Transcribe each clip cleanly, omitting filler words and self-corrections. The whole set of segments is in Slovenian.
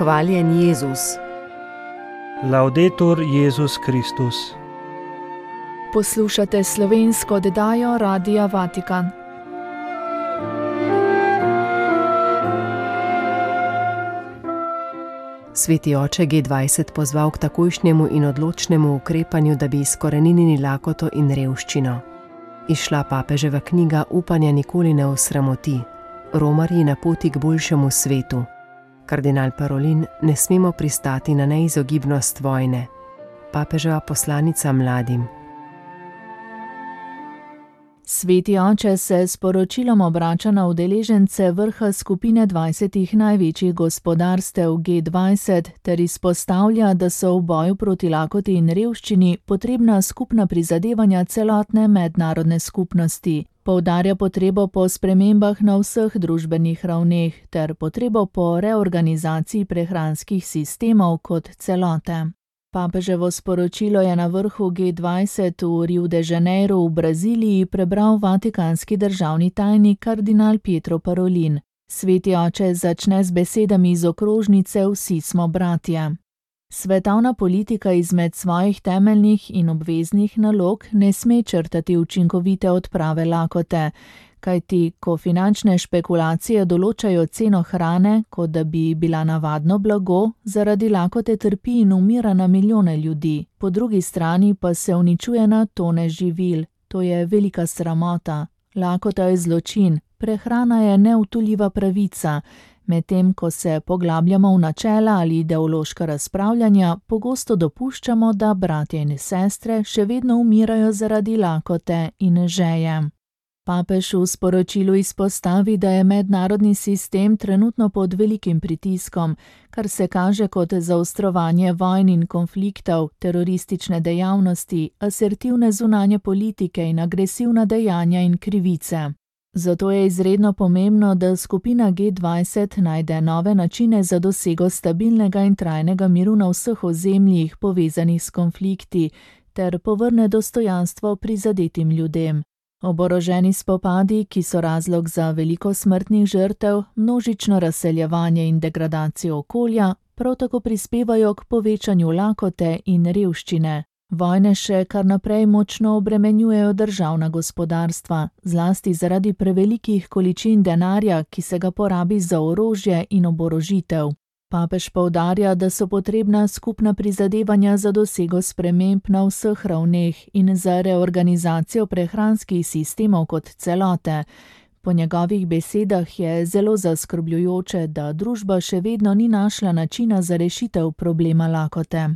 Hvaljen Jezus. Laudetur Jezus Kristus. Poslušate slovensko oddajo Radia Vatikan. Sveti oče G20 pozval k takojšnjemu in odločnemu ukrepanju, da bi izkoreninili lakoto in revščino. Izšla papeževa knjiga Upanja nikoli ne osramoti. Romarji na poti k boljšemu svetu. Kardinal Parolin: ne smemo pristati na neizogibnost vojne. Papeževa poslanica mladim. Sveti oče se s poročilom obrača na udeležence vrha skupine 20 največjih gospodarstev G20 ter izpostavlja, da so v boju proti lakoti in revščini potrebna skupna prizadevanja celotne mednarodne skupnosti. Poudarja potrebo po spremembah na vseh družbenih ravneh ter potrebo po reorganizaciji prehranskih sistemov kot celote. Papeževo sporočilo je na vrhu G20 v Rio de Janeiro v Braziliji prebral vatikanski državni tajnik kardinal Pietro Parolin. Sveti oče začne z besedami iz okrožnice Vsi smo bratje. Svetovna politika izmed svojih temeljnih in obveznih nalog ne sme črtati učinkovite odprave lakote, kajti ko finančne špekulacije določajo ceno hrane, kot da bi bila navadno blago, zaradi lakote trpi in umira na milijone ljudi. Po drugi strani pa se uničuje na tone živil. To je velika sramota. Lakota je zločin, prehrana je neutuljiva pravica. Medtem ko se poglabljamo v načela ali ideološka razpravljanja, pogosto dopuščamo, da bratje in sestre še vedno umirajo zaradi lakote in žeje. Papež v sporočilu izpostavi, da je mednarodni sistem trenutno pod velikim pritiskom, kar se kaže kot zaostrovanje vojn in konfliktov, teroristične dejavnosti, asertivne zunanje politike in agresivna dejanja in krivice. Zato je izredno pomembno, da skupina G20 najde nove načine za dosego stabilnega in trajnega miru na vseh ozemljih povezanih s konflikti ter povrne dostojanstvo prizadetim ljudem. Oboroženi spopadi, ki so razlog za veliko smrtnih žrtev, množično razseljevanje in degradacijo okolja, prav tako prispevajo k povečanju lakote in revščine. Vojne še kar naprej močno obremenjujejo državna gospodarstva, zlasti zaradi prevelikih količin denarja, ki se ga porabi za orožje in oborožitev. Papež poudarja, da so potrebna skupna prizadevanja za dosego sprememb na vseh ravneh in za reorganizacijo prehranskih sistemov kot celote. Po njegovih besedah je zelo zaskrbljujoče, da družba še vedno ni našla načina za rešitev problema lakote.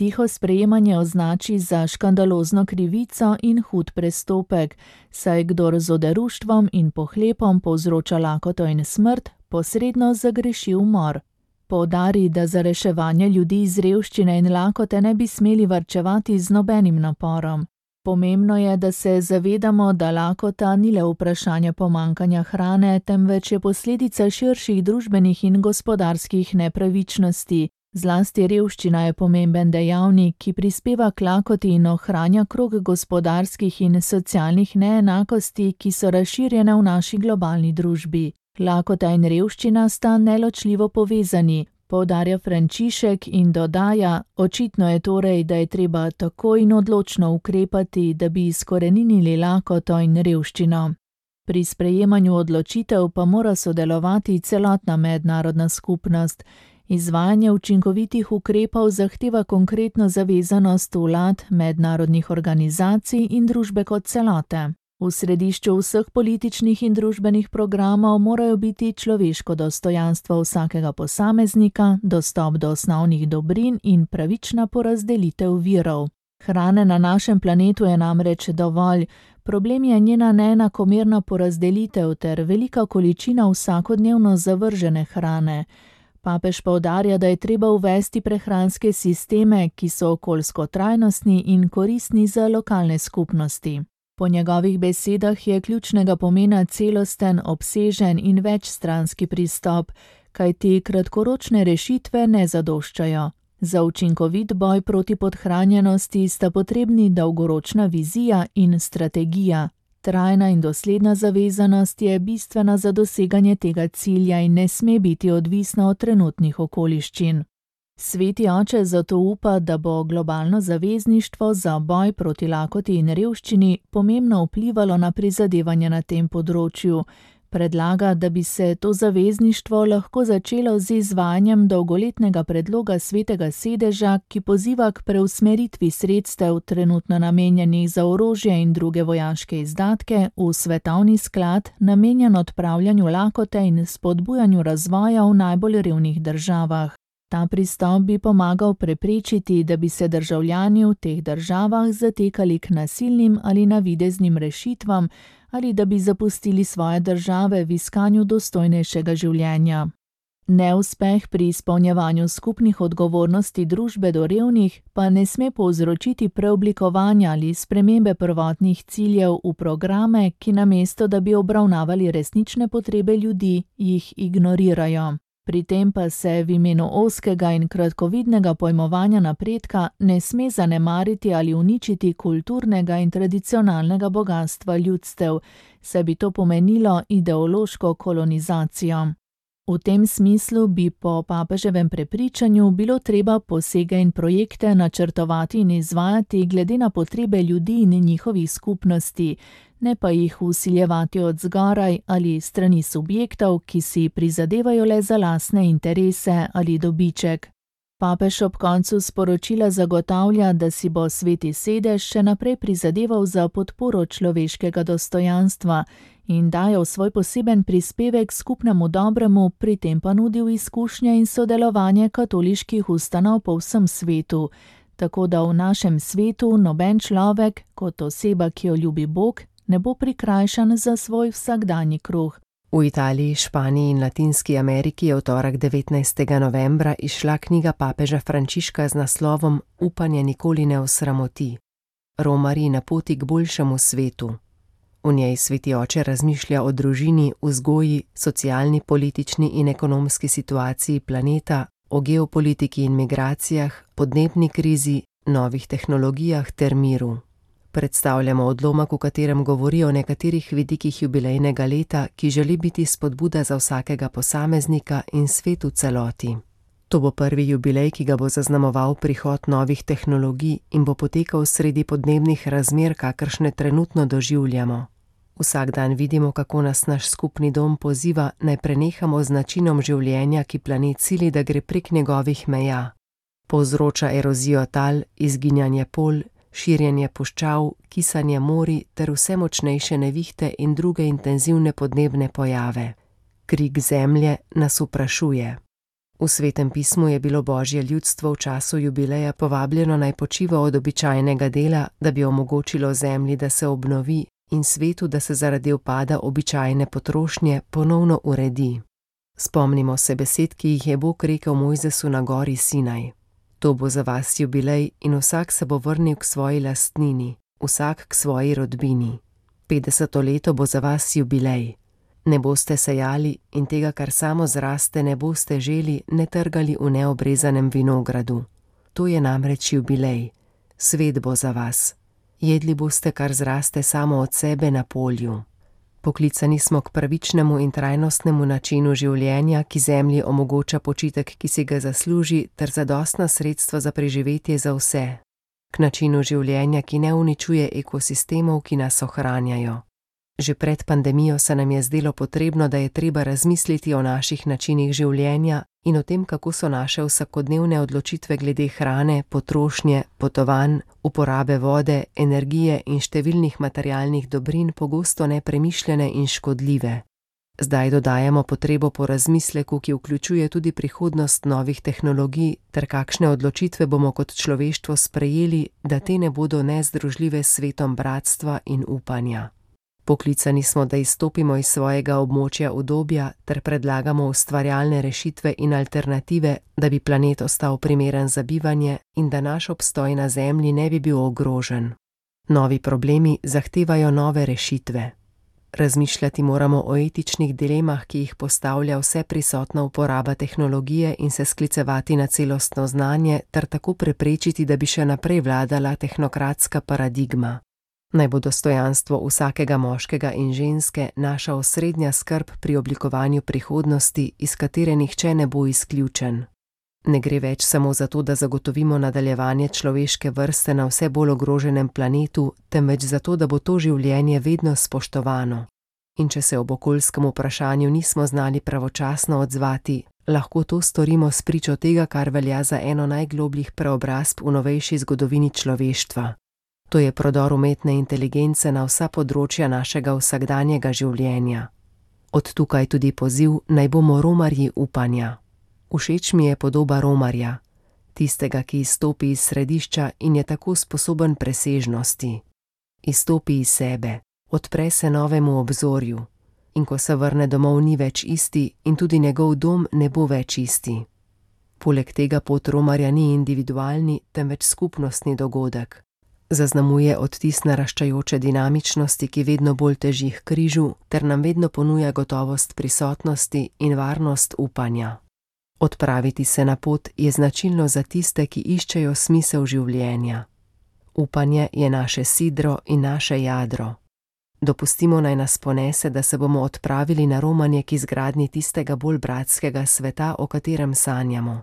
Tiho sprejemanje označi za škandalozno krivico in hud prestopek, saj kdor z oderuštvom in pohlepom povzroča lakoto in smrt, posredno zagreši umor. Poudari, da za reševanje ljudi iz revščine in lakote ne bi smeli varčevati z nobenim naporom. Pomembno je, da se zavedamo, da lakota ni le vprašanje pomanjkanja hrane, temveč je posledica širših družbenih in gospodarskih nepravičnosti. Zlasti revščina je pomemben dejavnik, ki prispeva k lakoti in ohranja krog gospodarskih in socialnih neenakosti, ki so razširjene v naši globalni družbi. Lakota in revščina sta neločljivo povezani, poudarja Frančišek in dodaja: očitno je torej, da je treba takoj in odločno ukrepati, da bi izkoreninili lakoto in revščino. Pri sprejemanju odločitev pa mora sodelovati celotna mednarodna skupnost. Izvajanje učinkovitih ukrepov zahteva konkretno zavezanost vlad, mednarodnih organizacij in družbe kot celote. V središču vseh političnih in družbenih programov morajo biti človeško dostojanstvo vsakega posameznika, dostop do osnovnih dobrin in pravična porazdelitev virov. Hrane na našem planetu je namreč dovolj, problem je njena neenakomerna porazdelitev ter velika količina vsakodnevno zavržene hrane. Papež poudarja, da je treba uvesti prehranske sisteme, ki so okoljsko trajnostni in koristni za lokalne skupnosti. Po njegovih besedah je ključnega pomena celosten, obsežen in večstranski pristop, kajti kratkoročne rešitve ne zadoščajo. Za učinkovit boj proti podhranjenosti sta potrebni dolgoročna vizija in strategija. Trajna in dosledna zavezanost je bistvena za doseganje tega cilja in ne sme biti odvisna od trenutnih okoliščin. Sveti oče zato upa, da bo globalno zavezništvo za boj proti lakoti in revščini pomembno vplivalo na prizadevanja na tem področju. Predlaga, da bi se to zavezništvo lahko začelo z izvajanjem dolgoletnega predloga Svetega sedeža, ki poziva k preusmeritvi sredstev trenutno namenjenih za orožje in druge vojaške izdatke v svetovni sklad, namenjen odpravljanju lakote in spodbujanju razvoja v najbolj revnih državah. Ta pristop bi pomagal preprečiti, da bi se državljani v teh državah zatekali k nasilnim ali navideznim rešitvam ali da bi zapustili svoje države v iskanju dostojnejšega življenja. Neuspeh pri izpolnjevanju skupnih odgovornosti družbe do revnih pa ne sme povzročiti preoblikovanja ali spremembe prvotnih ciljev v programe, ki namesto da bi obravnavali resnične potrebe ljudi, jih ignorirajo. Pri tem pa se v imenu ozkega in kratkovidnega pojmovanja napredka ne sme zanemariti ali uničiti kulturnega in tradicionalnega bogastva ljudstev, saj bi to pomenilo ideološko kolonizacijo. V tem smislu bi po papeževem prepričanju bilo treba posege in projekte načrtovati in izvajati glede na potrebe ljudi in njihovih skupnosti, ne pa jih vsiljevati od zgoraj ali strani subjektov, ki si prizadevajo le za lastne interese ali dobiček. Papež ob koncu sporočila zagotavlja, da si bo Sveti sedež še naprej prizadeval za podporo človeškega dostojanstva in dajal svoj poseben prispevek skupnemu dobremu, pri tem pa nudil izkušnje in sodelovanje katoliških ustanov po vsem svetu, tako da v našem svetu noben človek, kot oseba, ki jo ljubi Bog, ne bo prikrajšan za svoj vsakdanji kruh. V Italiji, Španiji in Latinski Ameriki je v torek 19. novembra izšla knjiga papeža Frančiška z naslovom Upanje nikoli ne osramoti. Romarji na poti k boljšemu svetu. V njej Sveti oče razmišlja o družini, vzgoji, socialni, politični in ekonomski situaciji planeta, o geopolitiki in migracijah, podnebni krizi, novih tehnologijah ter miru. Predstavljamo odlomek, v katerem govori o nekaterih vidikih jubilejnega leta, ki želi biti spodbuda za vsakega posameznika in svet v celoti. To bo prvi jubilej, ki ga bo zaznamoval prihod novih tehnologij in bo potekal sredi podnebnih razmer, kakršne trenutno doživljamo. Vsak dan vidimo, kako nas naš skupni dom poziva, naj prenehamo z načinom življenja, ki planet sili, da gre prek njegovih meja. Povzroča erozijo tal, izginjanje polj, širjenje puščav, kisanje morij ter vse močnejše nevihte in druge intenzivne podnebne pojave. Krik zemlje nas vprašuje. V Svetem pismu je bilo Božje ljudstvo v času jubileja povabljeno naj počiva od običajnega dela, da bi omogočilo zemlji, da se obnovi in svetu, da se zaradi upada običajne potrošnje ponovno uredi. Spomnimo se besed, ki jih je Bog rekel Mojzesu na gori Sinaj. To bo za vas jubilej in vsak se bo vrnil k svoji lastnini, vsak k svoji rodbini. 50. leto bo za vas jubilej. Ne boste sejali in tega, kar samo zraste, ne boste želi, ne trgali v neobrezanem vinogradu. To je namreč jubilej. Svet bo za vas. Jedli boste, kar zraste samo od sebe na polju. Poklicani smo k pravičnemu in trajnostnemu načinu življenja, ki zemlji omogoča počitek, ki si ga zasluži, ter zadostna sredstva za preživetje za vse. K načinu življenja, ki ne uničuje ekosistemov, ki nas ohranjajo. Že pred pandemijo se nam je zdelo potrebno, da je treba razmisliti o naših načinih življenja in o tem, kako so naše vsakodnevne odločitve glede hrane, potrošnje, potovanj, uporabe vode, energije in številnih materialnih dobrin pogosto nepremišljene in škodljive. Zdaj dodajamo potrebo po razmisleku, ki vključuje tudi prihodnost novih tehnologij, ter kakšne odločitve bomo kot človeštvo sprejeli, da te ne bodo nezdružljive s svetom bratstva in upanja. Poklicani smo, da izstopimo iz svojega območja udobja ter predlagamo ustvarjalne rešitve in alternative, da bi planet ostal primeren za bivanje in da naš obstoj na Zemlji ne bi bil ogrožen. Novi problemi zahtevajo nove rešitve. Razmišljati moramo o etičnih dilemah, ki jih postavlja vse prisotna uporaba tehnologije in se sklicevati na celostno znanje ter tako preprečiti, da bi še naprej vladala tehnokratska paradigma. Naj bo dostojanstvo vsakega moškega in ženske naša osrednja skrb pri oblikovanju prihodnosti, iz katere nihče ne bo izključen. Ne gre več samo za to, da zagotovimo nadaljevanje človeške vrste na vse bolj ogroženem planetu, temveč za to, da bo to življenje vedno spoštovano. In če se ob okoljskem vprašanju nismo znali pravočasno odzvati, lahko to storimo spričo tega, kar velja za eno najglobljih preobrazb v novejši zgodovini človeštva. To je prodor umetne inteligence na vsa področja našega vsakdanjega življenja. Od tukaj tudi poziv, naj bomo romarji upanja. Všeč mi je podoba romarja, tistega, ki izstopi iz središča in je tako sposoben presežnosti. Izstopi iz sebe, odpre se novemu obzorju in ko se vrne domov, ni več isti in tudi njegov dom ne bo več isti. Poleg tega pot romarja ni individualni, temveč skupnostni dogodek. Zaznamuje odtis naraščajoče dinamičnosti, ki vedno bolj teži k križu, ter nam vedno ponuja gotovost prisotnosti in varnost upanja. Odpraviti se na pot je značilno za tiste, ki iščejo smisel življenja. Upanje je naše sidro in naše jadro. Dopustimo naj nas ponese, da se bomo odpravili na romanje k izgradnji tistega bolj bratskega sveta, o katerem sanjamo,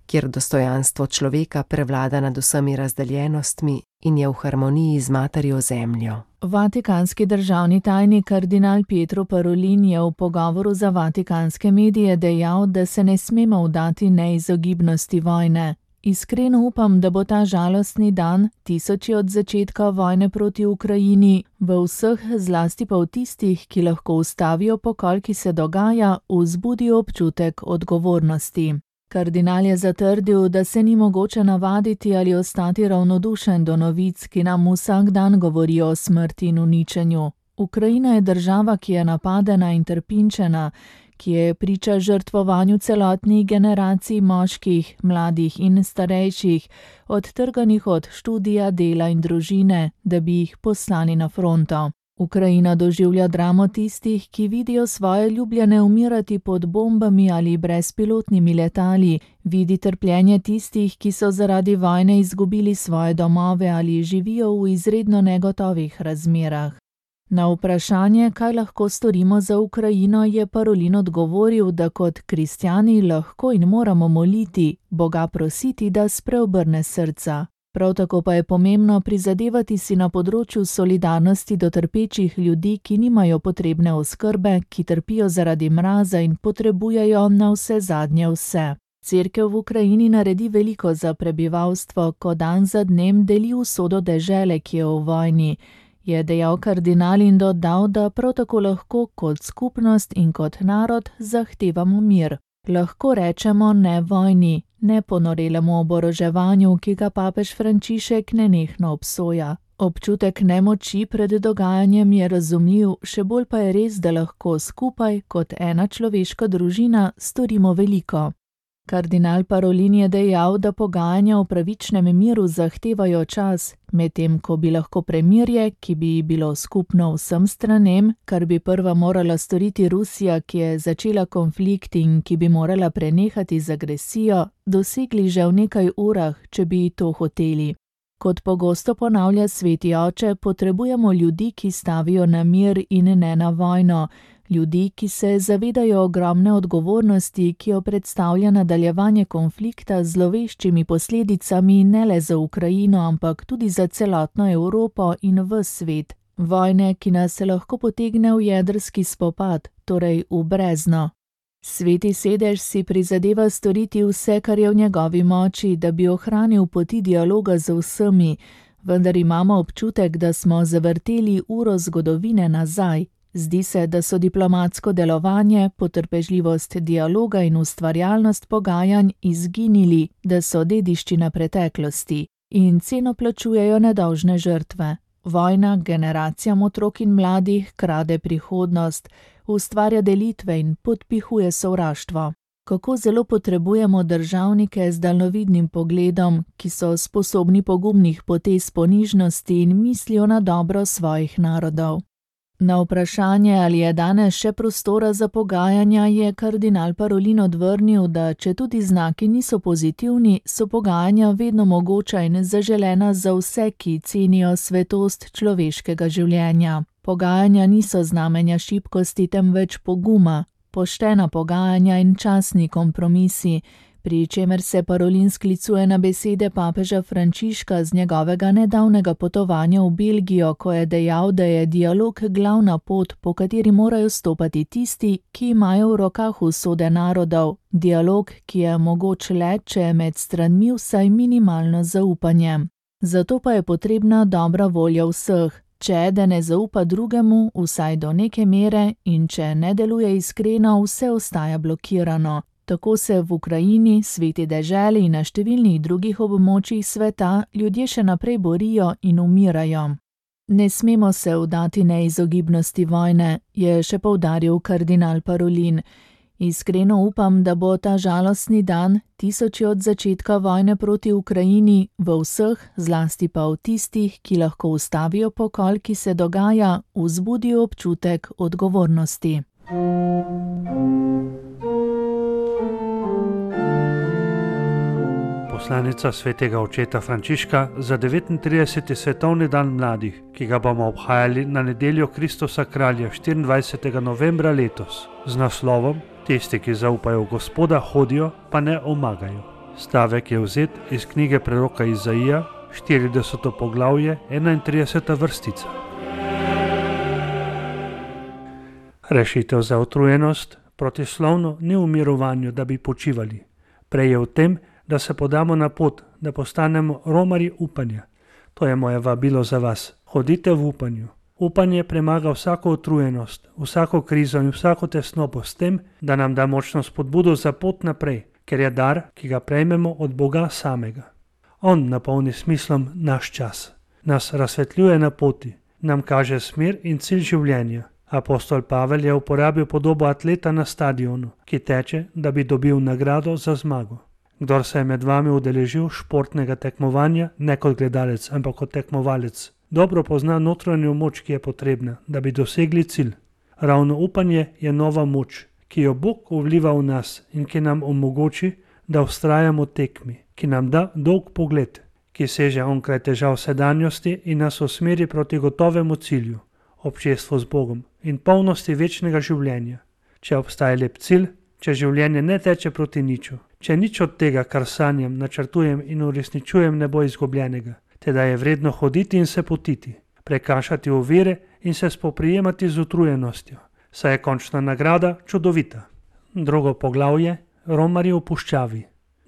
kjer dostojanstvo človeka prevlada nad vsemi razdeljenostmi in je v harmoniji z materjo zemljo. Vatikanski državni tajnik kardinal Pietro Parolin je v pogovoru za vatikanske medije dejal, da se ne smemo vdati neizogibnosti vojne. Iskreno upam, da bo ta žalostni dan, tisoči od začetka vojne proti Ukrajini, v vseh, zlasti pa v tistih, ki lahko ustavijo pokol, ki se dogaja, vzbudi občutek odgovornosti. Kardinal je zatrdil, da se ni mogoče navaditi ali ostati ravnodušen do novic, ki nam vsak dan govorijo o smrti in uničenju. Ukrajina je država, ki je napadena in trpinčena, ki je priča žrtvovanju celotnih generacij moških, mladih in starejših, odtrganih od študija, dela in družine, da bi jih poslali na fronto. Ukrajina doživlja dramo tistih, ki vidijo svoje ljubljene umirati pod bombami ali brezpilotnimi letali, vidi trpljenje tistih, ki so zaradi vojne izgubili svoje domove ali živijo v izredno negotovih razmerah. Na vprašanje, kaj lahko storimo za Ukrajino, je Parolin odgovoril, da kot kristjani lahko in moramo moliti, Boga prositi, da spreobrne srca. Prav tako pa je pomembno prizadevati si na področju solidarnosti do trpečih ljudi, ki nimajo potrebne oskrbe, ki trpijo zaradi mraza in potrebujejo navsezadnje vse. Cerkev v Ukrajini naredi veliko za prebivalstvo, ko dan za dnem deli usodo dežele, ki je v vojni, je dejal kardinal in dodal, da prav tako lahko kot skupnost in kot narod zahtevamo mir. Lahko rečemo ne vojni, ne ponorelemu oboroževanju, ki ga papež Frančišek nenehno obsoja. Občutek nemoči pred dogajanjem je razumljiv, še bolj pa je res, da lahko skupaj, kot ena človeška družina, storimo veliko. Kardinal Parolin je dejal, da pogajanja o pravičnem miru zahtevajo čas, medtem ko bi lahko premirje, ki bi bilo skupno vsem stranem, kar bi prva morala storiti Rusija, ki je začela konflikt in ki bi morala prenehati z agresijo, dosegli že v nekaj urah, če bi to hoteli. Kot pogosto ponavlja sveti oče, potrebujemo ljudi, ki stavijo na mir in ne na vojno, ljudi, ki se zavedajo ogromne odgovornosti, ki jo predstavlja nadaljevanje konflikta z zloveščimi posledicami ne le za Ukrajino, ampak tudi za celotno Evropo in ves svet. Vojne, ki nas lahko potegne v jedrski spopad, torej v brezno. Sveti sedež si prizadeva storiti vse, kar je v njegovi moči, da bi ohranil poti dialoga z vsemi, vendar imamo občutek, da smo zavrteli uro zgodovine nazaj. Zdi se, da so diplomatsko delovanje, potrpežljivost dialoga in ustvarjalnost pogajanj izginili, da so dediščina preteklosti in ceno plačujejo nedolžne žrtve. Vojna generacijam otrok in mladih krade prihodnost, ustvarja delitve in podpihuje sovraštvo. Kako zelo potrebujemo državnike z daljnovidnim pogledom, ki so sposobni pogumnih potez ponižnosti in mislijo na dobro svojih narodov. Na vprašanje, ali je danes še prostora za pogajanja, je kardinal Parolin odvrnil, da četudi znaki niso pozitivni, so pogajanja vedno mogoča in zaželena za vse, ki cenijo svetost človeškega življenja. Pogajanja niso znamenja šibkosti, temveč poguma, poštena pogajanja in častni kompromisi, pri čemer se Parolin sklicuje na besede papeža Frančiška z njegovega nedavnega potovanja v Belgijo, ko je dejal, da je dialog glavna pot, po kateri morajo stopati tisti, ki imajo v rokah usode narodov. Dialog, ki je mogoč le, če je med stranmi vsaj minimalno zaupanje. Zato pa je potrebna dobra volja vseh. Če eden ne zaupa drugemu, vsaj do neke mere, in če ne deluje iskreno, vse ostaja blokirano. Tako se v Ukrajini, sveti deželi in na številnih drugih območjih sveta ljudje še naprej borijo in umirajo. Ne smemo se vdati neizogibnosti vojne, je še poudaril kardinal Parolin. Iskreno upam, da bo ta žalostni dan, tisoči od začetka vojne proti Ukrajini, v vseh, zlasti pa v tistih, ki lahko ustavijo pokol, ki se dogaja, vzbudil občutek odgovornosti. Poslanica svetega očeta Frančiška za 39. svetovni dan mladih, ki ga bomo obhajali na nedeljo Kristusa kralja 24. novembra letos, z naslovom Tisti, ki zaupajo v Gospoda, hodijo, pa ne omagajo. Stavek je vzet iz knjige preroka Izaija, 40. poglavje, 31. vrstica. Rešitev za utrujenost protislovno ni v mirovanju, da bi počivali. Prej je v tem, da se podamo na pot, da postanemo romarji upanja. To je moje vabilo za vas. Hodite v upanju. Upanje premaga vsako utrujenost, vsako krizo in vsako tesnobo s tem, da nam da močno spodbudo za pot naprej, ker je dar, ki ga prejmemo od Boga samega. On napolni smislom naš čas, nas razsvetljuje na poti, nam kaže smer in cilj življenja. Apostol Pavel je uporabil podobo atleta na stadionu, ki teče, da bi dobil nagrado za zmago. Kdor se je med vami udeležil športnega tekmovanja, ne kot gledalec, ampak kot tekmovalec, dobro pozna notranjo moč, ki je potrebna, da bi dosegli cilj. Ravno upanje je nova moč, ki jo Bog vliva v nas in ki nam omogoči, da vztrajamo tekmi, ki nam da dolg pogled, ki seže onkraj težav sedanjosti in nas usmeri proti gotovemu cilju, občestvu z Bogom in polnosti večnega življenja. Če obstaja lep cilj, če življenje ne teče proti niču, če nič od tega, kar sanjam, načrtujem in uresničujem, ne bo izgubljenega, teda je vredno hoditi in se potiti, prekašati ovire in se spoprijemati z utrujenostjo, saj je končna nagrada čudovita. Drugo poglavje, romarji v puščavi.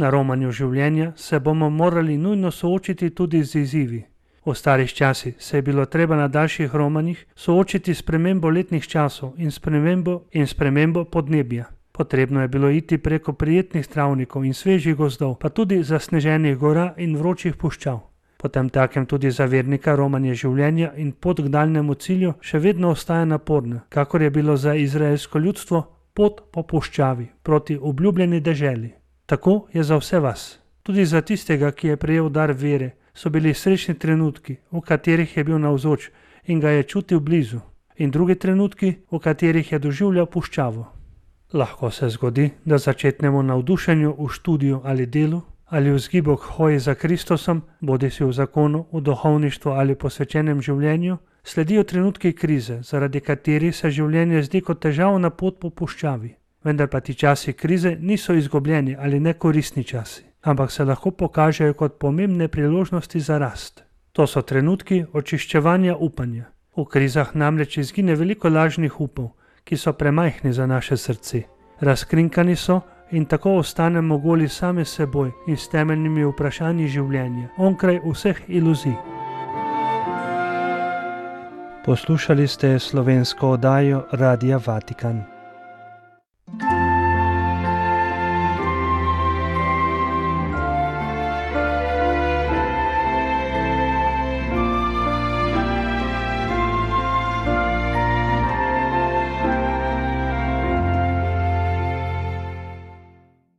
Na romanju življenja se bomo morali nujno soočiti tudi z izzivi. V starih časih se je bilo treba na daljših romanjih soočiti s spremembo letnih časov in spremembo podnebja. Potrebno je bilo iti preko prijetnih travnikov in svežih gozdov, pa tudi zasneženih gora in vročih puščav. Potem takem tudi za vernika romanje življenja in pot k daljnemu cilju še vedno ostaja naporna, kakor je bilo za izraelsko ljudstvo pot po puščavi proti obljubljeni deželi. Tako je za vse vas. Tudi za tistega, ki je prejel dar vere, so bili srečni trenutki, v katerih je bil navzoč in ga je čutil blizu, in drugi trenutki, v katerih je doživljal puščavo. Lahko se zgodi, da začetnemo navdušenju v študiju ali delu, ali v vzgibu k hoji za Kristusom, bodisi v zakonu, v duhovništvu ali posvečenem življenju, sledijo trenutki krize, zaradi katerih se življenje zdi kot težavna pot po puščavi. Vendar pa ti časi krize niso izgubljeni ali nekoristni časi, ampak se lahko pokažejo kot pomembne priložnosti za rast. To so trenutki očiščevanja upanja. V krizah namreč izgine veliko lažnih upov, ki so premajhni za naše srce. Razkrinkani so in tako ostanemo goli sami seboj in s temeljnimi vprašanji življenja, onkraj vseh iluzij. Poslušali ste slovensko oddajo Radia Vatikan.